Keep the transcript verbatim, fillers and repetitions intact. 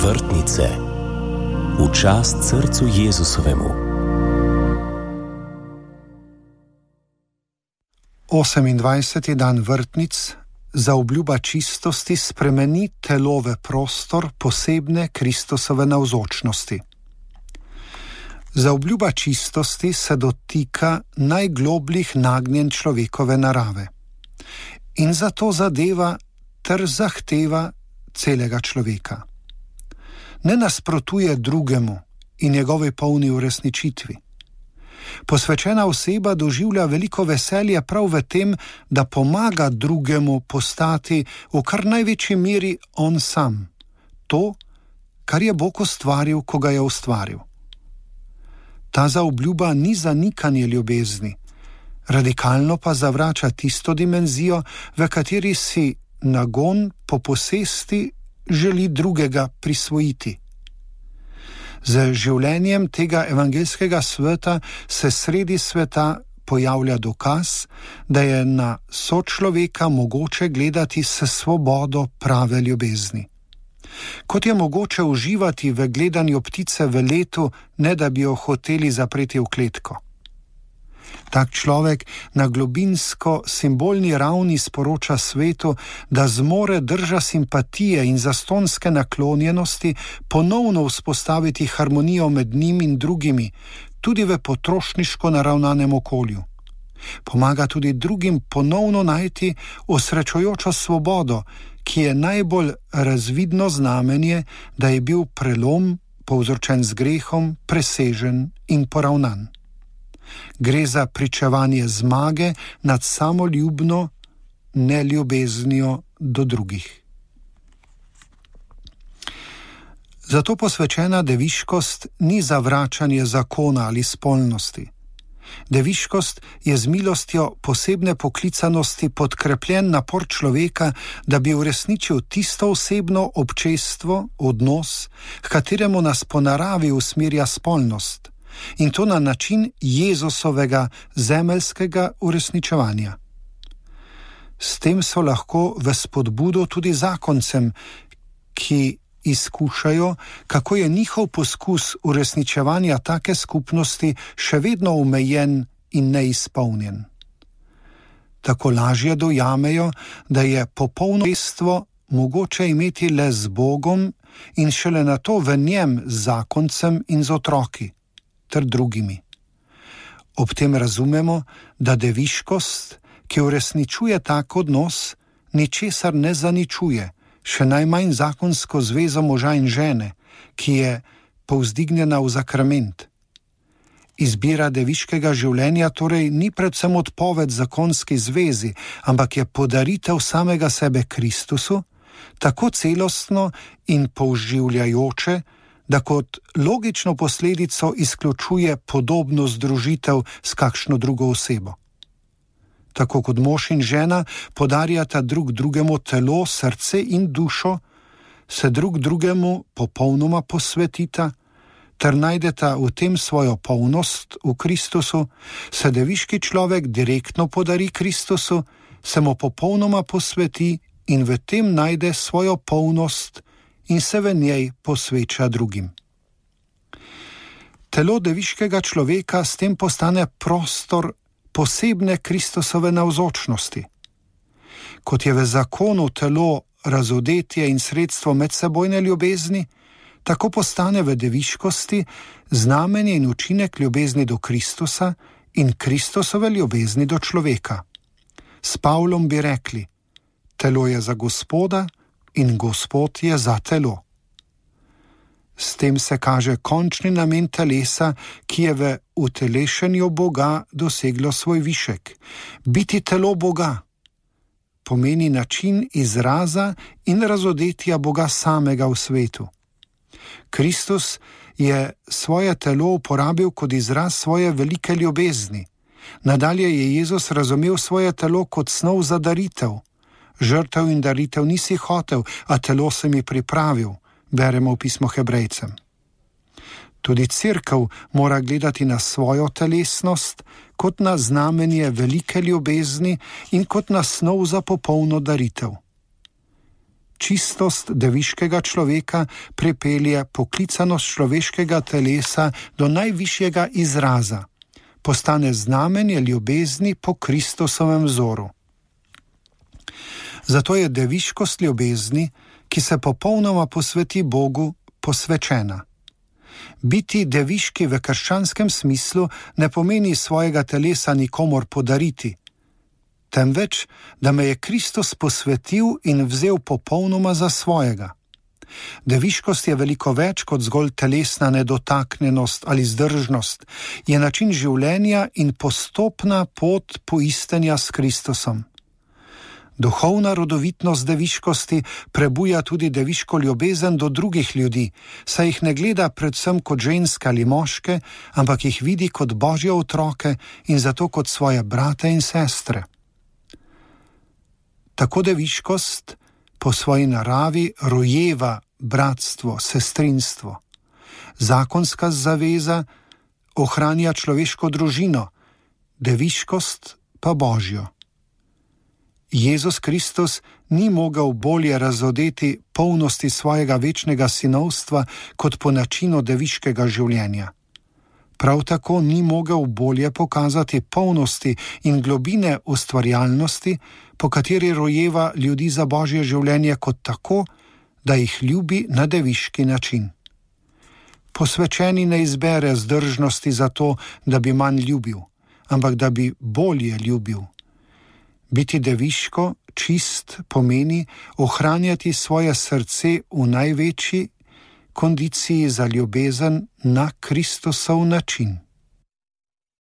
Vrtnice v čast srcu Jezusovemu. osemindvajseti dan vrtnic za obljuba čistosti spremeni telo v prostor posebne Kristusove navzočnosti. Za obljuba čistosti se dotika najglobljih nagnjenj človekove narave in zato zadeva ter zahteva celega človeka. Ne nasprotuje drugemu in njegovi polni uresničitvi. Posvečena oseba doživlja veliko veselje prav v tem, da pomaga drugemu postati v kar največji meri on sam, to, kar je Bog ustvaril, ko ga je ustvaril. Ta zaobljuba ni zanikanje ljubezni, radikalno pa zavrača tisto dimenzijo, v kateri si nagon po posesti želi drugega prisvojiti. Z življenjem tega evangelskega sveta se sredi sveta pojavlja dokaz, da je na sočloveka mogoče gledati s svobodo prave ljubezni. Kot je mogoče uživati v gledanju ptice v letu, ne da bi jo hoteli zapreti v kletko. Tak človek na globinsko simbolni ravni sporoča svetu, da zmore drža simpatije in zastonske naklonjenosti ponovno vzpostaviti harmonijo med njim in drugimi, tudi v potrošniško naravnanem okolju. Pomaga tudi drugim ponovno najti osrečujočo svobodo, ki je najbolj razvidno znamenje, da je bil prelom, povzročen z grehom, presežen in poravnan. Gre za pričevanje zmage nad samoljubno neljubeznijo do drugih. Zato posvečena deviškost ni zavračanje zakona ali spolnosti. Deviškost je z milostjo posebne poklicanosti podkrepljen napor človeka, da bi uresničil tisto osebno občestvo, odnos, h kateremu nas po naravi usmerja spolnost, in to na način Jezusovega zemeljskega uresničevanja. S tem so lahko v spodbudo tudi zakoncem, ki izkušajo, kako je njihov poskus uresničevanja take skupnosti še vedno omejen in neizpolnjen. Tako lažje dojamejo, da je popolno občestvo mogoče imeti le z Bogom in šele nato v njem z zakoncem in z otroki ter drugimi. Ob tem razumemo, da deviškost, ki uresničuje tak odnos, ničesar ne zaničuje, še najmanj zakonsko zvezo moža in žene, ki je povzdignjena v sakrament. Izbira deviškega življenja torej ni predvsem odpoved zakonski zvezi, ampak je podaritev samega sebe Kristusu, tako celostno in použivljajoče, da kot logično posledico izključuje podobno združitev s kakšno drugo osebo. Tako kot mož in žena podarjata drug drugemu telo, srce in dušo, se drug drugemu popolnoma posvetita, ter najdeta v tem svojo polnost v Kristusu, se deviški človek direktno podari Kristusu, se mu popolnoma posveti in v tem najde svojo polnost in se v njej posveča drugim. Telo deviškega človeka s tem postane prostor posebne Kristusove navzočnosti. Kot je v zakonu telo razodetje in sredstvo medsebojne ljubezni, tako postane v deviškosti znamenje in učinek ljubezni do Kristusa in Kristusove ljubezni do človeka. S Pavlom bi rekli: telo je za Gospoda in Gospod je za telo. S tem se kaže končni namen telesa, ki je v utelešenju Boga doseglo svoj višek. Biti telo Boga pomeni način izraza in razodetja Boga samega v svetu. Kristus je svoje telo uporabil kot izraz svoje velike ljubezni. Nadalje je Jezus razumel svoje telo kot snov za daritev. Žrtev in daritev nisi hotel, a telo se mi pripravil, beremo v pismo Hebrejcem. Tudi cerkev mora gledati na svojo telesnost kot na znamenje velike ljubezni in kot na snov za popolno daritev. Čistost deviškega človeka pripelje poklicanost človeškega telesa do najvišjega izraza, postane znamenje ljubezni po Kristusovem vzoru. Zato je deviškost ljubezni, ki se popolnoma posveti Bogu, posvečena. Biti deviški v krščanskem smislu ne pomeni svojega telesa nikomor podariti, temveč, da me je Kristus posvetil in vzel popolnoma za svojega. Deviškost je veliko več kot zgolj telesna nedotaknjenost ali zdržnost, je način življenja in postopna pot poistenja s Kristusom. Duhovna rodovitnost deviškosti prebuja tudi deviško ljubezen do drugih ljudi, saj jih ne gleda predvsem kot ženske ali moške, ampak jih vidi kot Božje otroke in zato kot svoje brate in sestre. Tako deviškost po svoji naravi rojeva bratstvo, sestrinstvo. Zakonska zaveza ohranja človeško družino, deviškost pa Božjo. Jezus Kristus ni mogel bolje razodeti polnosti svojega večnega sinovstva kot po načinu deviškega življenja. Prav tako ni mogel bolje pokazati polnosti in globine ustvarjalnosti, po kateri rojeva ljudi za Božje življenje kot tako, da jih ljubi na deviški način. Posvečeni ne izbere zdržnosti za to, da bi manj ljubil, ampak da bi bolje ljubil. Biti deviško, čist, pomeni ohranjati svoje srce v največji kondiciji za ljubezen na Kristusov način.